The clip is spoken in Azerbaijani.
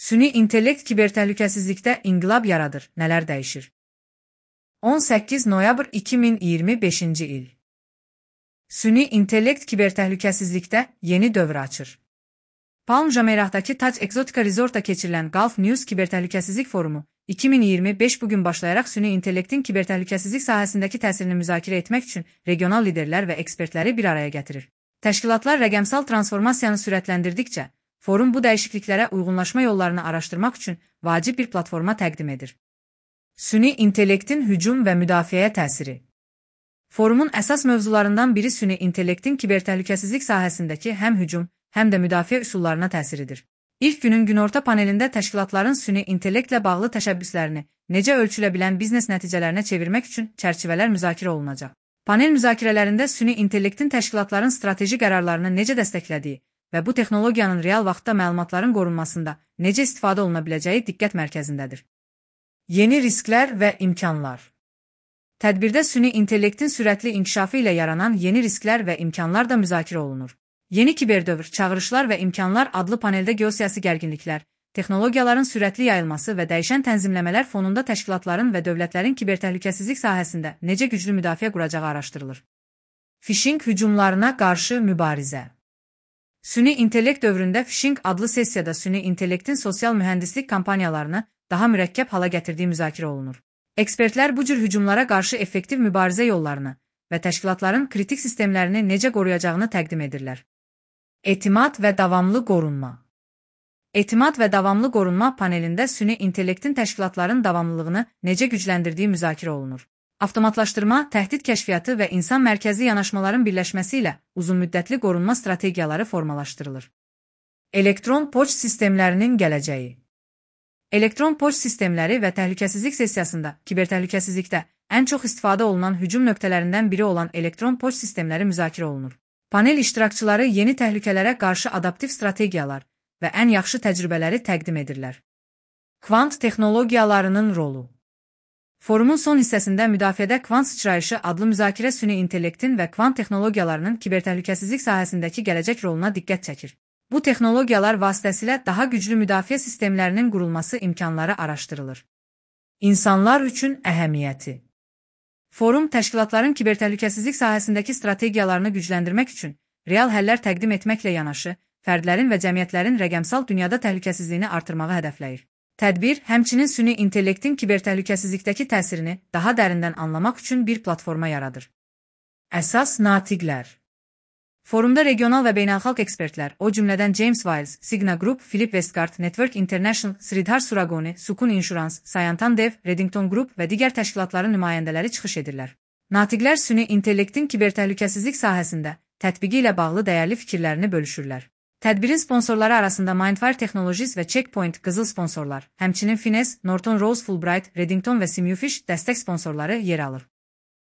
Süni intellekt kibertəhlükəsizlikdə inqilab yaradır. Nələr dəyişir? 18 noyabr 2025-ci il. Süni intellekt kibertəhlükəsizlikdə yeni dövr açır. Palm Jameirah'dakı Tac Exotica Resort'ta keçirilən Gulf News Kibertəhlükəsizlik Forumu 2025 bugün başlayaraq süni intellektin kibertəhlükəsizlik sahəsindəki təsirini müzakirə etmək üçün regional liderlər və ekspertləri bir araya gətirir. Təşkilatlar rəqəmsal transformasiyanı sürətləndirdikcə, forum bu dəyişikliklərə uyğunlaşma yollarını araşdırmaq üçün vacib bir platforma təqdim edir. Süni intellektin hücum və müdafiəyə təsiri. Forumun əsas mövzularından biri süni intellektin kibertəhlükəsizlik sahəsindəki həm hücum, həm də müdafiə üsullarına təsiridir. İlk günün günorta panelində təşkilatların süni intellektlə bağlı təşəbbüslərini necə ölçülə bilən biznes nəticələrinə çevirmək üçün çərçivələr müzakirə olunacaq. Panel müzakirələrində süni intellektin təşkilatların strateji qərarlarını necə dəstəklədiyi və bu texnologiyanın real vaxtda məlumatların qorunmasında necə istifadə oluna biləcəyi diqqət mərkəzindədir. Yeni risklər və imkanlar. Tədbirdə süni intellektin sürətli inkişafı ilə yaranan yeni risklər və imkanlar da müzakirə olunur. Yeni kiberdövr, çağırışlar və imkanlar adlı paneldə geosiyasi gərginliklər, texnologiyaların sürətli yayılması və dəyişən tənzimləmələr fonunda təşkilatların və dövlətlərin kibertəhlükəsizlik sahəsində necə güclü müdafiə quracağı araşdırılır. Phishing hücumlarına qarşı mübarizə. Süni intellekt dövründə phishing adlı sessiyada süni intellektin sosial mühəndislik kampaniyalarını daha mürəkkəb hala gətirdiyi müzakirə olunur. Ekspertlər bu cür hücumlara qarşı effektiv mübarizə yollarını və təşkilatların kritik sistemlərini necə qoruyacağını təqdim edirlər. Etimad və davamlı qorunma. Etimad və davamlı qorunma panelində süni intellektin təşkilatların davamlılığını necə gücləndirdiyi müzakirə olunur. Avtomatlaşdırma, təhdid kəşfiyyatı və insan mərkəzi yanaşmaların birləşməsi ilə uzunmüddətli qorunma strategiyaları formalaşdırılır. Elektron poçt sistemlərinin gələcəyi. Elektron poçt sistemləri və təhlükəsizlik sessiyasında kibertəhlükəsizlikdə ən çox istifadə olunan hücum nöqtələrindən biri olan elektron poçt sistemləri müzakirə olunur. Panel iştirakçıları yeni təhlükələrə qarşı adaptiv strategiyalar və ən yaxşı təcrübələri təqdim edirlər. Kvant texnologiyalarının rolu. Forumun son hissəsində müdafiədə kvant sıçrayışı adlı müzakirə süni intellektin və kvant texnologiyalarının kibertəhlükəsizlik sahəsindəki gələcək roluna diqqət çəkir. Bu texnologiyalar vasitəsilə daha güclü müdafiə sistemlərinin qurulması imkanları araşdırılır. İnsanlar üçün əhəmiyyəti. Forum təşkilatların kibertəhlükəsizlik sahəsindəki strategiyalarını gücləndirmək üçün real həllər təqdim etməklə yanaşı, fərdlərin və cəmiyyətlərin rəqəmsal dünyada təhlükəsizliyini artırmağı hədəfləyir. Tədbir, həmçinin süni intellektin kibertəhlükəsizlikdəki təsirini daha dərindən anlamaq üçün bir platforma yaradır. Əsas natiqlər. Forumda regional və beynəlxalq ekspertlər, o cümlədən James Wiles, Cigna Group, Philip Westgard, Network International, Sridhar Suragoni, Sukun Insurance, Sayantan Dev, Reddington Group və digər təşkilatların nümayəndələri çıxış edirlər. Natiqlər süni intellektin kibertəhlükəsizlik sahəsində tətbiqi ilə bağlı dəyərli fikirlərini bölüşürlər. Tədbirin sponsorları arasında Mindfire Technologies və Checkpoint qızıl sponsorlar, həmçinin Finesse, Norton Rose Fulbright, Reddington və Simufish dəstək sponsorları yer alır.